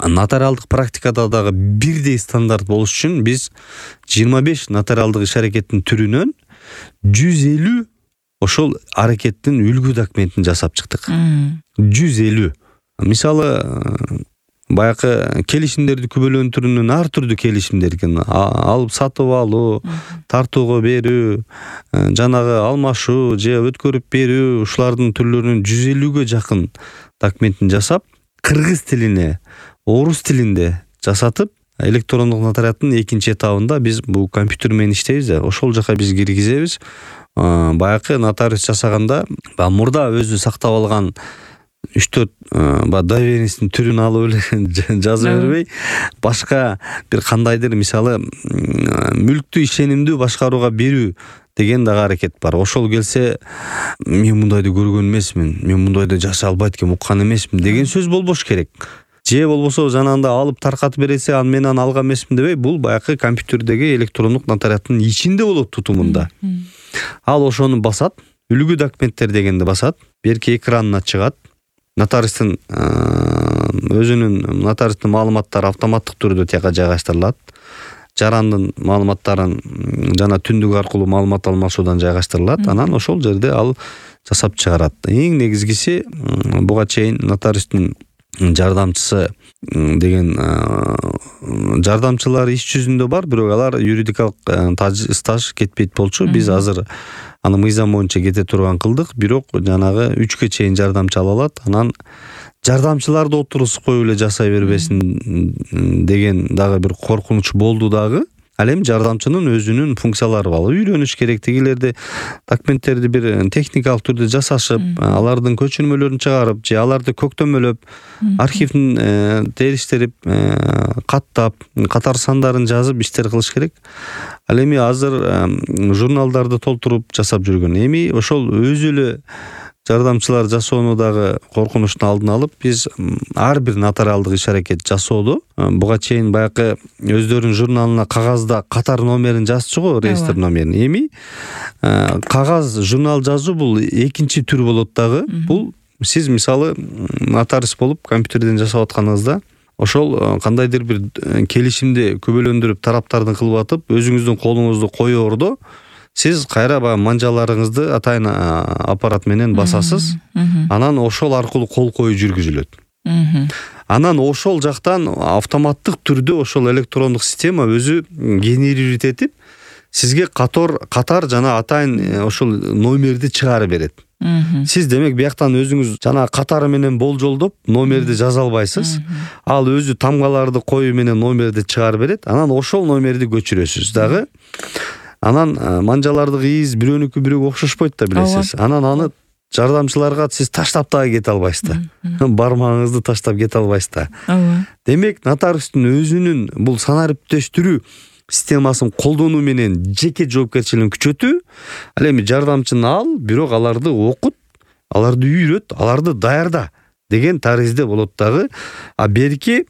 нотариалдык практикада дагы бирдей стандарт болуш үчүн биз 25 нотариалдык иш аракеттин түрүнөн 150 ошол аракеттин үлгү документин жасап чыктык. 150. Мисалы, баягы келишимдерди күбөлөндүрүүнүн ар түрдүү келишимдер экен. Алып сатып алуу, тартууга берүү, жанагы алмашуу же өткөрүп берүү, ушулардын түрлөрүнүн 150ге жакын документин жасап, кыргыз тилине, орус тилинде жасатып, электрондук нотариаттын экинчи этабында биз бул компьютер менен иштейбиз да, ошол жака биз киргизебиз. Баягы нотариус жасаганда мурда өзү сактап алган 3-4 доверенностьтун түрүн алып эле жазып бербей, башка бир кандайдыр, мисалы, мүлктү ишенимдүү башкарууга берүү деген дагы аракет бар. Ошол келсе, мен мындайды көргөн эмесмин, мен мындайды жасай албайт экен, уккан эмесмин деген сөз болбош керек. Же болбосо жанагында алып таркатып бересе, аны мен алган эмесмин дебей, бул баягы компьютердеги электрондук нотариаттын ичинде болот тутумунда. Ал ошону басат, үлгү документтер дегенди басат, берки экранына чыгат. Нотариустун өзүнүн нотариустун маалыматтары автоматтык түрдө тияка жайгаштырылат. Жарандын маалыматтарын жана түндүк аркылуу маалымат алмашуудан жайгаштырылат. Анан ошол жерде ал жасап чыгарат. Эң негизгиси буга чейин нотариустун жардамчысы деген жардамчылар иш жүзүндө бар, бирок алар юридикалык стаж кетпейт болчу. Биз азыр аны мыйзам боюнча кете турган кылдык, бирок жанагы 3-кө чейин жардамчы ала алат. Анан жардамчыларды отурусуп коюп эле жасай бербесин деген дагы бир коркунуч болду дагы. Ал эми жардамчынын өзүнүн функциялары бар. Үйрөнүш керек, тигилерди документтерди бир техникалык түрдө жасашып, алардын көчүрмөлөрүн чыгарып, же аларды көктөмөлөп, архивдин териштирип, каттап, катар сандарын жазып иштер кылыш керек. Ал эми азыр журналдарды толтуруп жасап жүргөн. Эми ошол өзү эле жардамчылар жасоону дагы коркунучтун алдын алып, биз ар бир нотариалдык иш аракет жасоодо буга чейин баягы өздөрүнүн журналына кагазда катар номерин жазчу го, реестр номерин. Эми кагаз журнал жазуу бул экинчи түр болот дагы. Бул сиз мисалы нотариус болуп компьютерден жасап атканыңызда, ошол кандайдыр бир келишимди күбөлөндүрүп тараптардын кылып атып, өзүңүздүн колуңузду коёордо сиз кайра баягы манжаларыңызды атайын аппарат менен басасыз. Анан ошол аркылуу кол коюу жүргүзүлөт. Анан ошол жактан автоматтык түрдө ошол электрондук система өзү генерировать этип, сизге катар жана атайын ошол номерди чыгарып берет. Сиз демек бияктан өзүңүз жана катары менен болжолдоп номерди жаза албайсыз. Ал өзү тамгаларды коюу менен номерди чыгарып берет. Анан ошол номерди көчүрөсүз дагы. Анан манжалардык из бирөөнүкү бирөөгө окшошпойт да, билесиз. Анан аны жардамчыларга сиз таштап дагы кете албайсыз да. Бармагыңызды таштап кете албайсыз да. Демек, нотариустун өзүнүн бул санариптештирүү системасын колдонуу менен жеке жоопкерчилигин күчөтүү. Ал эми жардамчыны ал, бирок аларды окут, аларды үйрөт, аларды даярда деген таризде болот дагы. А берки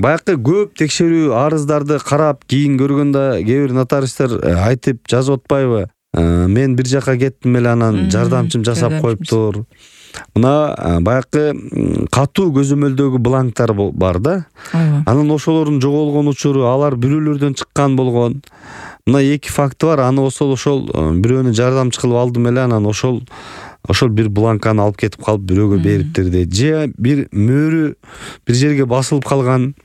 баягы көп текшерүү арыздарды карап, кийин көргөндө кээ бир нотариустар айтып жазып атпайбы? Мен бир жака кеттим эле, анан жардамчым жасап коюптур. Мына баягы катуу көзөмөлдөгү бланктар бар да. Анан ошолордун жоголгон учуру, алар бирөөлөрдөн чыккан болгон. Мына 2 факты бар. Аны ошол бирөөнү жардамчы кылып алдым эле, анан ошол бир бланканы алып кетип калып бирөөгө бериптир дейт. Же бир мөөрү бир жерге басылып калган.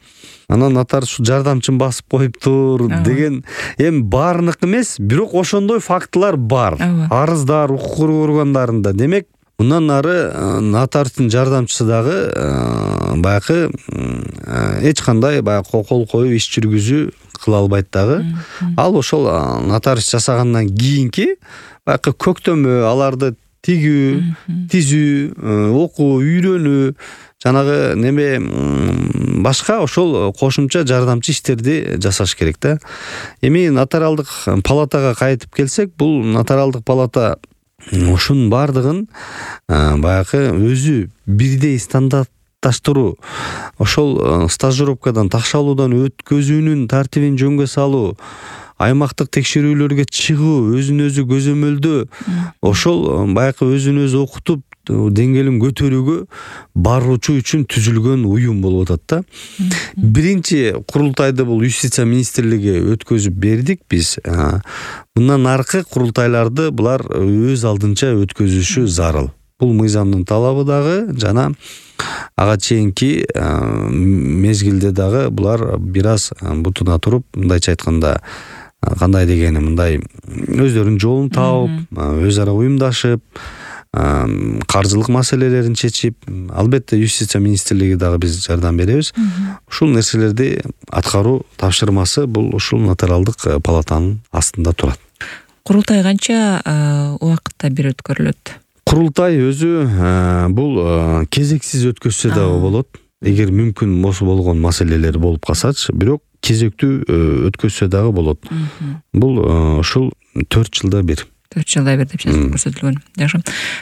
Анан нотариус жардамчын басып коюптур деген. Эми баарынык эмес, бирок ошондой фактылар бар. Арыздар, укук коргоо органдарында. Демек, мындан ары нотариустун жардамчысы дагы баягы эч кандай баягы кол коюп иш жүргүзүү кыла албайт дагы. Ал ошол нотариус жасагандан кийинки баягы көктөмө, аларды тигүү, тизүү, окуу, үйрөнүү, жанагы неме башка ошол кошумча жардамчы иштерди жасаш керек да. Эми нотариалдык палатага кайтып келсек, бул нотариалдык палата ошонун бардыгын баягы өзү бирдей стандартташтыруу, ошол стажировкадан такшалуудан өткөзүүнүн тартибин жөнгө салуу, аймактык текшерүүлөргө чыгуу, өзүн өзү көзөмөлдөө, ошол баягы өзүн өзү окутуп деңгээлин көтөрүүгө баруучу үчүн түзүлгөн уюм болуп атат да. Биринчи курултайды бул Юстиция министрлиги өткөзүп бердик биз. Мындан аркы курултайларды булар өз алдынча өткөзүшү зарыл. Бул мыйзамдын талабы дагы жана ага чейинки мезгилде дагы булар бир аз бутуна туруп, мындайча айтканда кандай дегени мындай өздөрүнүн жолун таап, өз ара уюмдашып, каржылык маселелерин чечип, албетте Юстиция министрлиги дагы биз жардам беребиз. Ушул нерселерди аткаруу тапшырмасы бул ушул нотариалдык палатанын астында турат. Курултай канча убакытта бир өткөрүлөт? Курултай өзү бул кезексиз өткөзсө дагы болот. Эгер мүмкүн болгон маселелер болуп калсачы, бирок кезектүү өткөзсө дагы болот. Бул ушул 4 жылда бир. 4 жылда бир деп көрсөтүлгөн. Жакшы.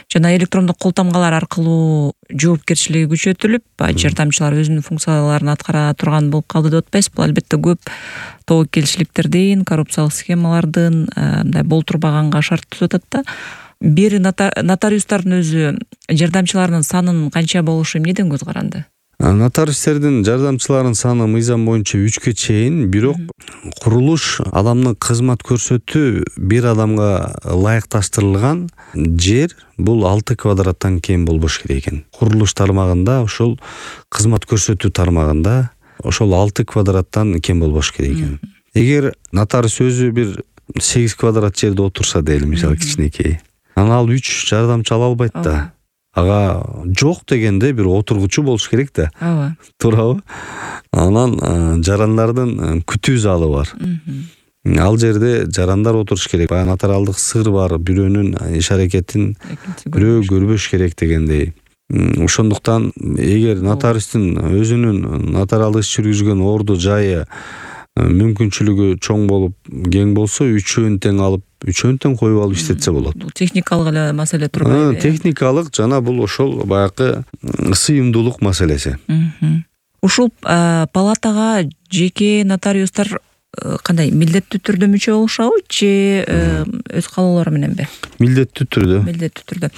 Жана электрондук кол тамгалар аркылуу жоопкерчилиги күчөтүлүп, жардамчылар өзүнүн функцияларын аткара турган болуп калды деп атпайсыз? Бул албетте көп тобокелчиликтердин, коррупциялык схемалардын мындай болтурбаганга шарт түзүп атат да. Бир нотариустардын өзү жардамчыларынын санын канча болушу эмнеден көз каранды? Нотариустердин жардамчыларынын саны мыйзам боюнча 3-кө чейин, бирок курулуш адамдын кызмат көрсөтүү бир адамга ылайыкташтырылган жер бул 6 квадраттан кем болбош керек экен. Курулуш тармагында, ошол кызмат көрсөтүү тармагында ошол 6 квадраттан кем болбош керек экен. Эгер нотариус өзү бир 8 квадрат жерде отурса дейли, мисалы кичинекей, ал 3 жардамчы ала албайт да. Ага жок дегенде бир отургучу болуш керек да. Ооба. Туурабы? Анан жарандардын күтүү залы бар. Ал жерде жарандар отуруш керек. Баягы нотариалдык сыр бар, бирөөнүн иш аракетин бирөө көрбөш керек дегендей. Ошондуктан эгер нотариустун өзүнүн нотариалдык иш жүргүзгөн орду жайы мүмкүнчүлүгү чоң болуп, кең болсо, үчөөнү тең алып, үчөөнү тең коюп алып иштетсе болот. Бул техникалык эле маселе турбайбы? Техникалык жана бул ошол баягы сыйымдуулук маселеси. Ушул палатага жеке нотариустар кандай милдеттүү түрдө мүчө болушабы же өз каалоолору мененби? Милдеттүү түрдө. Милдеттүү түрдө.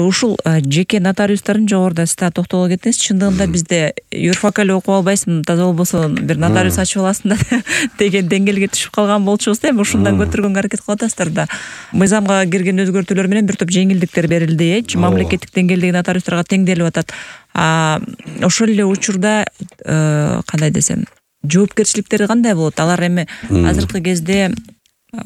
Ушул жеке нотариустардын жогоруда сиз токтоло кеттиңиз. Чындыгында бизде юрфак эле окуп албайсың, таза болбосо бир нотариус ачып аласың да деген деңгээлге түшүп калган болчубуз да. Эми ушундан көтөргөнгө аракет кылып атасыздар да. Мыйзамга кирген өзгөртүүлөр менен бир топ жеңилдиктер берилди, мамлекеттик деңгээлдеги нотариустарга теңделип атат. Ошол эле учурда кандай десем, жоопкерчиликтери кандай болот? Алар эми азыркы кезде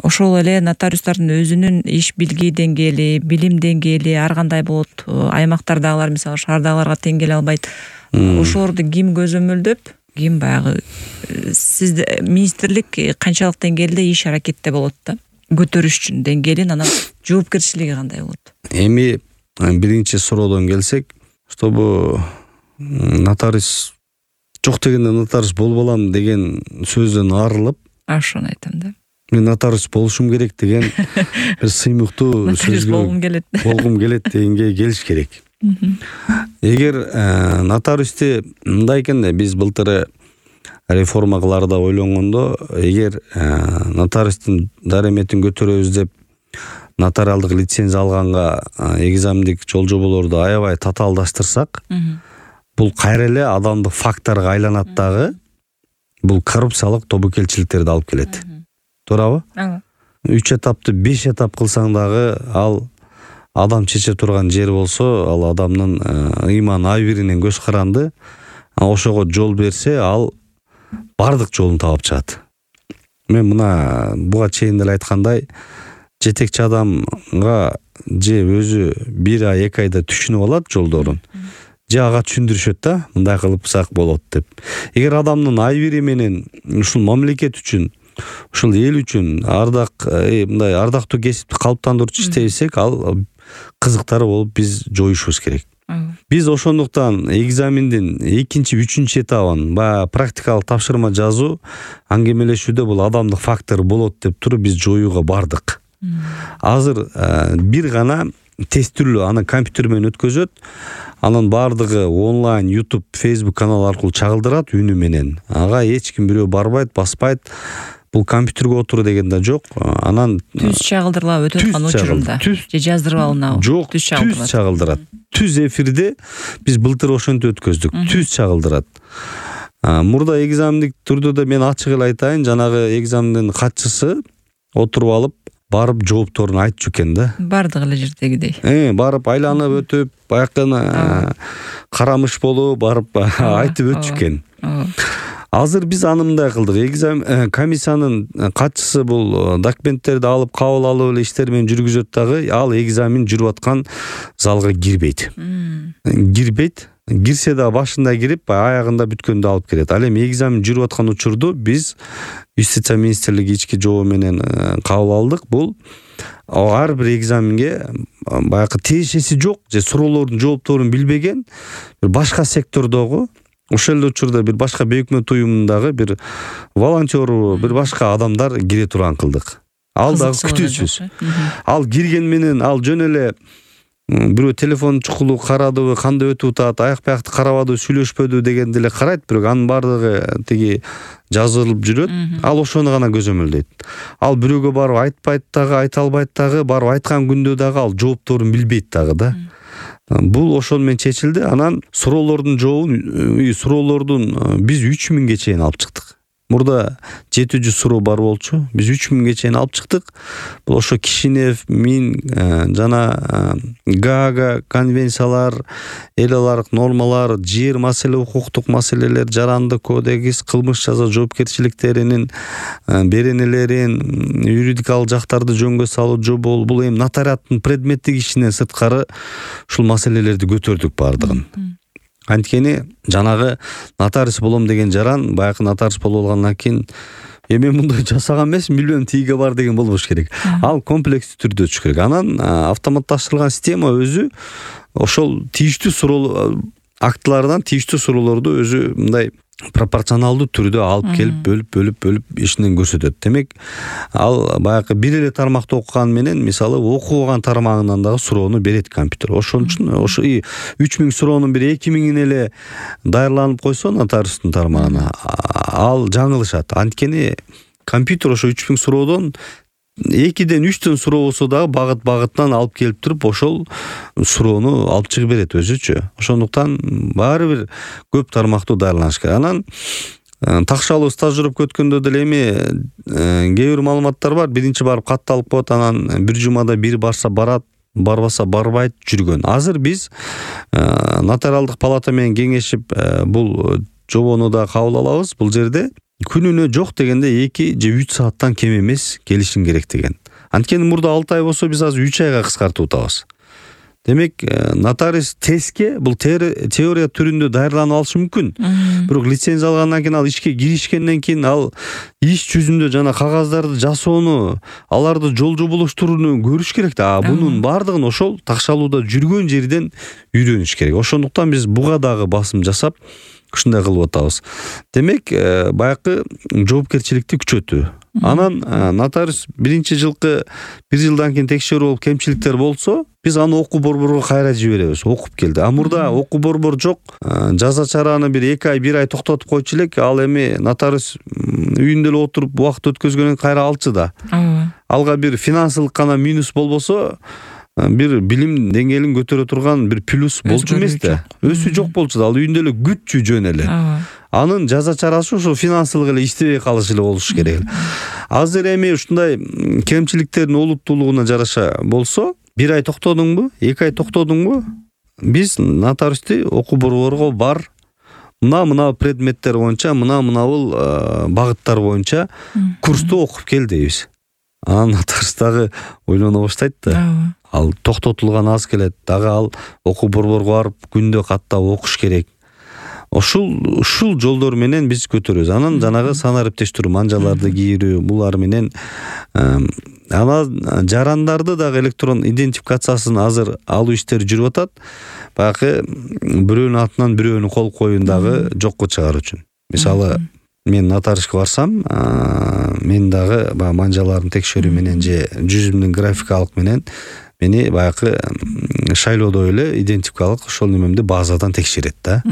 ошол эле нотариустардын өзүнүн иш билги деңгээли, билим деңгээли ар кандай болот. Аймактардагылар, мисалы шаардагыларга тең келе албайт. Ошолорду ким көзөмөлдөп, ким баягы сизде министрлик канчалык деңгээлде иш аракетте болот да? Көтөрүш үчүн деңгээлин, анан жоопкерчилиги кандай болот? Эми биринчи суроодон келсек, чтобы нотариус жок дегенде нотариус болбой алам деген сөздөн арылып, ошону айтам да. Мен нотариус болушум керек деген бир сыймыктуу сөзгө болгум келет дегенге келиш керек. Эгер нотариусты мындай экен да, биз былтыр реформа кылаарда ойлонгондо, эгер нотариустун дареметин көтөрөбүз деп нотариалдык лицензия алганга экзамендик жол жоболорду аябай татаалдаштырсак, бул кайра эле адамдык факторго айланат дагы, бул коррупциялык тобокелчиликтерди алып келет. Туурабы? 3 этапты 5 этап кылсаң дагы ал адам чече турган жер болсо, ал адамдын ыйман абийиринен көз каранды, ошого жол берсе, ал бардык жолун таап чыгат. Мен мына буга чейин деле айткандай, жетекчи адамга же өзү 1 ай 2 айда түшүнүп алат жолдорун, же ага түшүндүрүшөт да, мындай кылыпсак болот деп. Эгер адамдын абийири менен ушул мамлекет үчүн, ушул эл үчүн мындай ардактуу кесипти калыптандырып иштесек, ал кызыктары болуп биз жоюшубуз керек. Биз ошондуктан экзамендин 2-3 этабын, практикалык тапшырма жазуу, аңгемелешүүдө бул адамдык фактор болот деп туруп биз жоюуга бардык. Азыр бир гана тестүрлүү аны компьютер менен өткөзөт, анын бардыгы онлайн YouTube, Facebook канал аркылуу чагылдырат үнү менен. Ага эч ким бирөө барбайт, баспайт. бул компьютерге отуруу деген да жок. Анан түз чагылдырылабы өтүп аткан учурунда же жаздырып алынабы? Жок, түз чагылдырат. Түз эфирде биз былтыр ошентип өткөздүк. Түз чагылдырат. Мурда экзамендик түрдө да мен ачык эле айтайын, жанагы экзамендин катчысы отуруп алып барып жоопторун айтчу экен да. Бардык эле жердегидей. Барып айланып өтүп, баягы карамыш болуп барып айтып өтчү экен. Азыр биз аны мындай кылдык. Экзамен комиссиянын катчысы бул документтерди алып, кабыл алып эле иштер менен жүргүзөт дагы, ал экзамен жүрүп аткан залга кирбейт. Кирсе да башында кирип, аягында бүткөндө алып келет. Ал эми экзамен жүрүп аткан учурду биз Юстиция министрлиги ички жобо менен кабыл алдык. Бул ар бир экзаменге баягы тиешеси жок же суроолордун жоопторун билбеген бир башка сектордогу, ошол эле учурда бир башка бейөкмөт уюмундагы бир волонтер, бир башка адамдар кире турган кылдык. Ал дагы күтүүсүз. Ал кирген менен ал жөн эле бирөө телефон чукулу карадыбы, кандай өтүп атат, аяк-паякты карабадыбы, сүйлөшпөдү дегенди эле карайт, бирок анын баардыгы тиги жазылып жүрөт. Ал ошону гана көзөмөлдөйт. Ал бирөөгө барып айтпайт дагы, айта албайт дагы, барып айткан күндө дагы ал жоопторун билбейт дагы да. Бул ошону менен чечилди. Анан суроолордун биз 3000ге чейин алып чыктык. Мурда 700 суроо бар болчу. Биз 3000ге чейин алып чыктык. Бул ошо Кишинев, Мин жана Гаага конвенциялар, эл аралык нормалар, жер маселе, укуктук маселелер, жарандык кодекс, кылмыш жаза жоопкерчиликтеринин беренелерин, юридикалык жактарды жөнгө салуу жобол, бул эми нотариаттын предметтик ишинен сырткары ушул маселелерди көтөрдүк бардыгын. Анткени жанагы нотариус болом деген жаран баягы нотариус болуп алгандан кийин мен мындай жасаган эмесмин, билбейм, тиги бар деген болбош керек. Ал комплекстүү түрдө өтүш керек. Анан автоматташтырылган система өзү ошол тийиштүү суроо актылардан тийиштүү суроолорду өзү мындай пропорционалдуу түрдө алып келип бөлүп ишинен көрсөтөт. Демек, ал баягы бир эле тармакты окуган менен, мисалы, окубаган тармагынан дагы суроону берет компьютер. Ошон үчүн ошо 3000 суроонун бир 2000 эле даярланып койсо нотариустун тармагына, ал жаңылышат. Анткени компьютер ошо 3000 суроодон 2ден 3төн суроо болсо дагы багыт-багытынан алып келип туруп ошол суроону алып чыгып берет өзүчө. Ошондуктан баары бир көп тармактуу даярланыш керек. Анан такшалуу стажировка өткөндө деле эми кээ бир маалыматтар бар. Биринчи барып катталып коет, анан бир жумада бир барса барат, барбаса барбайт жүргөн. Азыр биз нотариалдык палата менен кеңешип бул жобону да кабыл алабыз. Бул жерде күнүнө жок дегенде 2 же 3 сааттан кем эмес келишим керек деген. Анткени мурда 6 ай болсо биз азыр 3 айга кыскартып атабыз. Демек, нотариус тестке бул теория түрүндө даярланып алышы мүмкүн. Бирок лицензия алгандан кийин, ал ишке киришкенден кийин, ал иш жүзүндө жана кагаздарды жасоону, аларды жол жоболоштурууну көрүш керек да. Бунун баардыгын ошол такшалууда жүргөн жерден үйрөнүш керек. Ошондуктан биз буга дагы басым жасап ушундай кылып атабыз. Демек, баягы жоопкерчиликти күчөтүү. Анан нотариус биринчи жылкы 1 жылдан кийин текшерүү болуп кемчиликтер болсо, биз аны окуу борборго кайра жиберебиз. Окуп келди. Мурда окуу борбор жок. Жаза чараны бир 2 ай, 1 ай токтотуп койчу элек. Ал эми нотариус үйүндө эле отуруп убакыт өткөзгөндөн кайра алчу да. Алга бир финансылык гана минус болбосо, бир билим деңгээлин көтөрө турган бир плюс болчу эмес да. Өсүү жок болчу да. Ал үйүндө эле күтчү жөн эле. Анын жаза чарасы ошо финансылык эле иштебей калыш эле болуш керек. Азыр эми ушундай кемчиликтердин олуттуулугуна жараша болсо, 1 ай токтодуңбу, 2 ай токтодуңбу? Биз нотариусти окуу борборго бар, мына предметтер боюнча, мына-мынабул багыттар боюнча курсту окуп кел дейбиз. Анан нотариус дагы ойлоно баштайт да. Ал токтотулган аз келет, дагы ал окуу борборго барып күндө каттап окуш керек. Ушул жолдор менен биз көтөрөбүз. Анан жанагы санариптештирүү, манжаларды кийирүү, булар менен анан жарандарды дагы электрон идентификациясын азыр алуу иштери жүрүп атат. Баягы бирөөнүн атынан бирөөнүн кол коюун дагы жокко чыгаруу үчүн. Мисалы, мен нотариуска барсам, мен дагы манжаларын текшерүү менен же жүзүмдүн графикалык менен мени баягы шайлоодо эле идентификалык ошол немемди базадан текшерет да.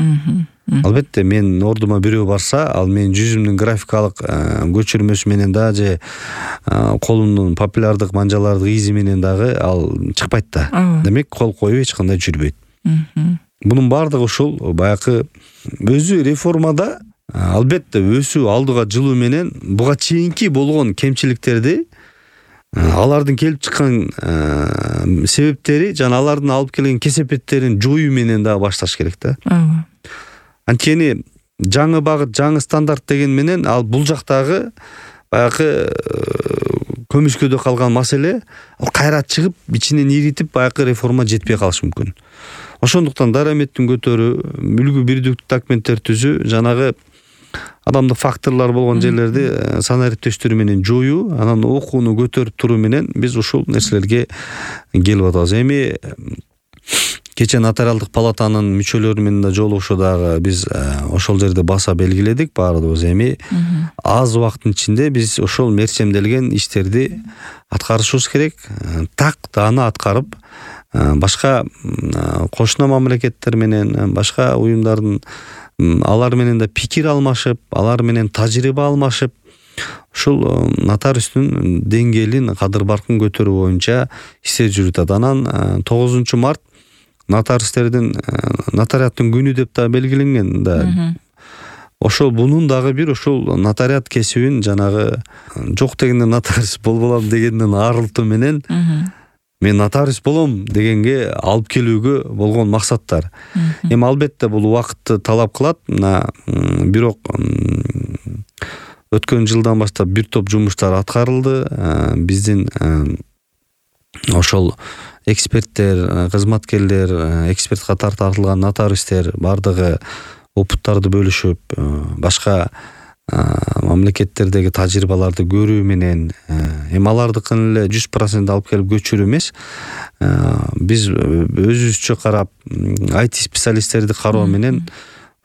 Албетте мен ордума бирөө барса, ал менин жүзүмдүн графикалык көчүрмөсү менен да же колумдун папиллярдык манжалардык изи менен дагы ал чыкпайт да. Демек кол коюп эч кандай жүрбөйт. Бунун баардыгы ушул баягы өзү реформада албетте өсүү алдыга жылуу менен буга чейинки болгон кемчиликтерди, алардын келип чыккан себептери жана алардын алып келген кесепеттерин жоюу менен дагы башташ керек да. Анткени жаңы багыт, жаңы стандарт деген менен ал бул жактагы баягы көмүскөдө калган маселе ал кайра чыгып ичинен иритип баягы реформа жетпей калышы мүмкүн. Ошондуктан дараметтин көтөрүү, үлгү бирдиктүү документтер түзүү, жанагы адамдык факторлор болгон жерлерди санариптештирүү менен жоюу, анан окууну көтөрүп туруу менен биз ушул нерселерге келип атабыз. Эми кечээ нотариалдык палатанын мүчөлөрү менен да жолугушуу дагы биз ошол жерде баса белгиледик баардыгыбыз. Эми аз убакыттын ичинде биз ошол мерчемделген иштерди аткарышыбыз керек. Так аны аткарып, башка кошуна мамлекеттер менен, башка уюмдардын алар менен да пикир алмашып, алар менен тажрыйба алмашып, ушул нотариустун деңгээлин, кадыр баркын көтөрүү боюнча иштер жүрүтөт. Анан 9 март нотариустердин нотариаттын күнү деп да белгиленген да. Ошол бунун дагы бир ошол нотариат кесибин жанагы жок дегенде нотариус болболом дегенден арылтуу менен мен нотариус болом дегенге алып келүүгө болгон максаттар. Эми албетте бул убакытты талап кылат. Бирок өткөн жылдан баштап бир топ жумуштар аткарылды. Биздин ошол эксперттер, кызматкерлер, эксперт катары тартылган нотариустер бардыгы опыттарды бөлүшүп, башка мамлекеттердеги тажрыйбаларды көрүү менен, эми алардыкын эле 100% алып келип көчүрүү эмес, биз өзүбүзчө карап, IT специалисттерди кароо менен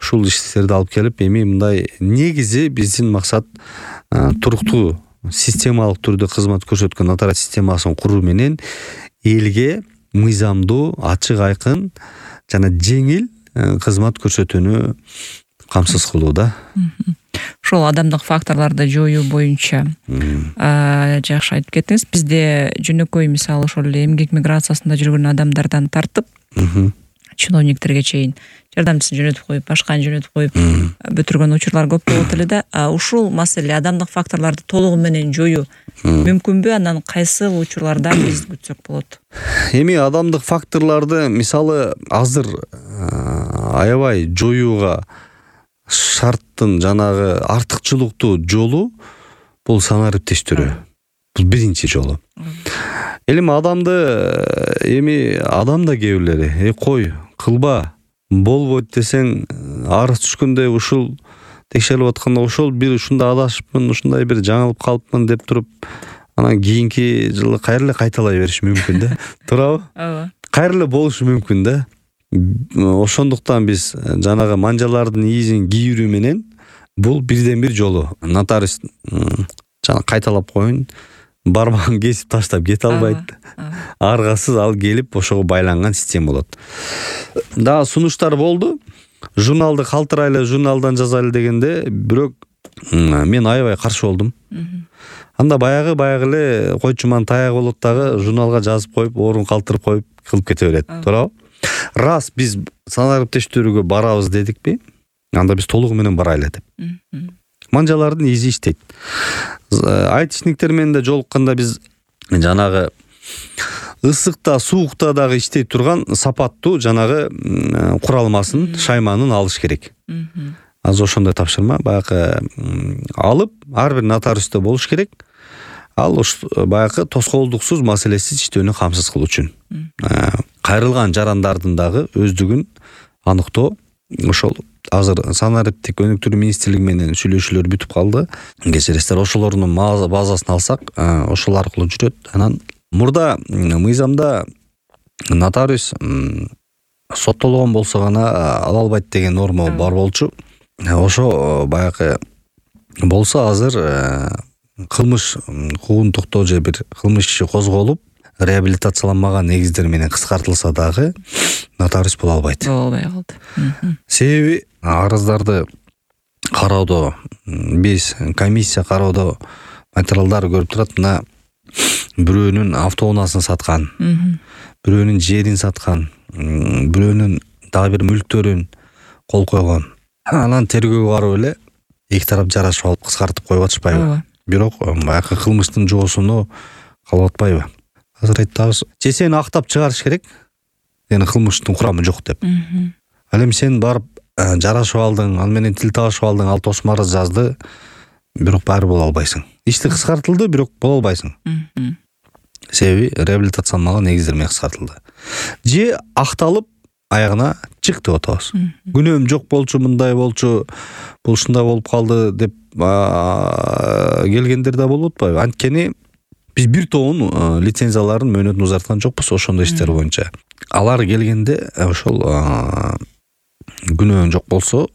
ушул иштерди алып келип, эми мындай негизи биздин максат туруктуу системалык түрдө кызмат көрсөткөн нотариат системасын куруу менен элге мыйзамдуу, ачык айкын жана жеңил кызмат көрсөтүүнү камсыз кылуу да. Ошол адамдык факторлорду жоюу боюнча жакшы айтып кеттиңиз. Бизде жөнөкөй мисалы ошол эле эмгек миграциясында жүргөн адамдардан тартып чиновниктерге чейин жардамчысын жөнөтүп коюп, башканы жөнөтүп коюп бүтүргөн учурлар көп болот эле да. Ушул маселе адамдык факторлорду толугу менен жоюу мүмкүнбү? Анан кайсы учурларда биз күтсөк болот? Эми адамдык факторлорду мисалы азыр аябай жоюуга шарттын жанагы артыкчылыктуу жолу бул санариптештирүү. Бул биринчи жолу. Эми адам да кээ бирлери кой кылба болбойт десең арыз түшкөндөй ушул текшерилип атканда ошол бир ушундай адашыпмын, ушундай бир жаңылып калыпмын деп туруп анан кийинки жылы кайра эле кайталай бериш мүмкүн да. Туурабы? Ооба. Кайра эле болушу мүмкүн да. Ошондуктан биз жанагы манжалардын ийизин кийирүү менен бул бирден бир жолу. Нотариус жана кайталап коюн, бармагын кесип таштап кете албайт. Аргасыз ал келип ошого байланган система болот. Дагы сунуштар болду. Журналды калтырайлы, журналдан жазайлы дегенде, бирок мен аябай каршы болдум. Анда баягы эле койчуман таяк болот дагы журналга жазып коюп, орун калтырып коюп кылып кете берет. Туурабы? Раз биз санариптештирүүгө барабыз дедикпи? Анда биз толугу менен барайлы деп. Манжалардын изи иштейт. Айтишниктер менен да жолукканда биз жанагы ысыкта, суукта дагы иштей турган сапаттуу жанагы куралмасын, шайманын алыш керек. Азыр ошондой тапшырма баягы алып, ар бир нотариуста болуш керек. Ал баягы тоскоолдуксуз, маселесиз иштөөнү камсыз кылуу үчүн. Кайрылган жарандардын дагы өздүгүн аныктоо. Ошол азыр санариптик өнүктүрүү министрлиги менен сүйлөшүүлөр бүтүп калды. Кечиресиздер, ошолордун базасын алсак, ошол аркылуу жүрөт. Анан мурда мыйзамда нотариус соттолгон болсо гана ала албайт деген норма бар болчу. Ошо баягы болсо азыр кылмыш хукукун токтоо же бир кылмыш иши козголуп, реабилитацияланмаган негиздер менен кыскартылса дагы нотариус боло албайт. Боло албай калды. Себеби арыздарды кароодо биз комиссия кароодо материалдар көрүп турат. Мына бирөөнүн автоунаасын саткан, бирөөнүн жерин саткан, бирөөнүн дагы бир мүлктөрүн кол койгон. Анан тергөөгө барып эле эки тарап жарашып алып кыскартып коюп атышпайбы? Бирок баягы кылмыштын жоосуну калып атпайбы? Азыр айтабыз, же сени актап чыгарыш керек, эми кылмыштын курамы жок деп. Ал эми сен барып жарашып алдың, ал менен тил табышып алдың, ал тосма арыз жазды, бирок баары боло албайсың. Ишти кыскартылды, бирок боло албайсың. Себеби реабилитацияланмаган негиздер менен кыскартылды. Же акталып аягына чык деп атабыз. Күнөөм жок болчу, мындай болчу, бул ушундай болуп калды деп келгендер да болуп атпайбы? Анткени биз бир тобун лицензияларын мөөнөтүн узарткан жокпуз ошондой иштер боюнча. Алар келгенде ошол күнөөң жок болсо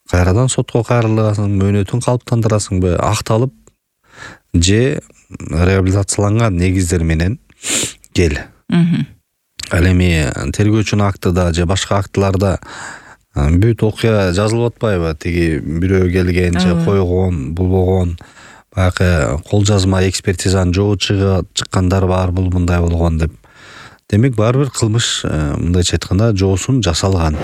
кайрадан сотко кайрыласың, мөөнөтүн калыптандырасыңбы, акталып же реабилитацияланган негиздер менен кел. Ал эми тергөөчүнүн актыда же башка актыларда бүт окуя жазылып атпайбы? Тиги бирөө келген же койгон, болбогон, баягы кол жазма экспертизанын жообу чыккандар бар, бул мындай болгон деп. Демек баары бир кылмыш мындайча айтканда жоосун жасалган.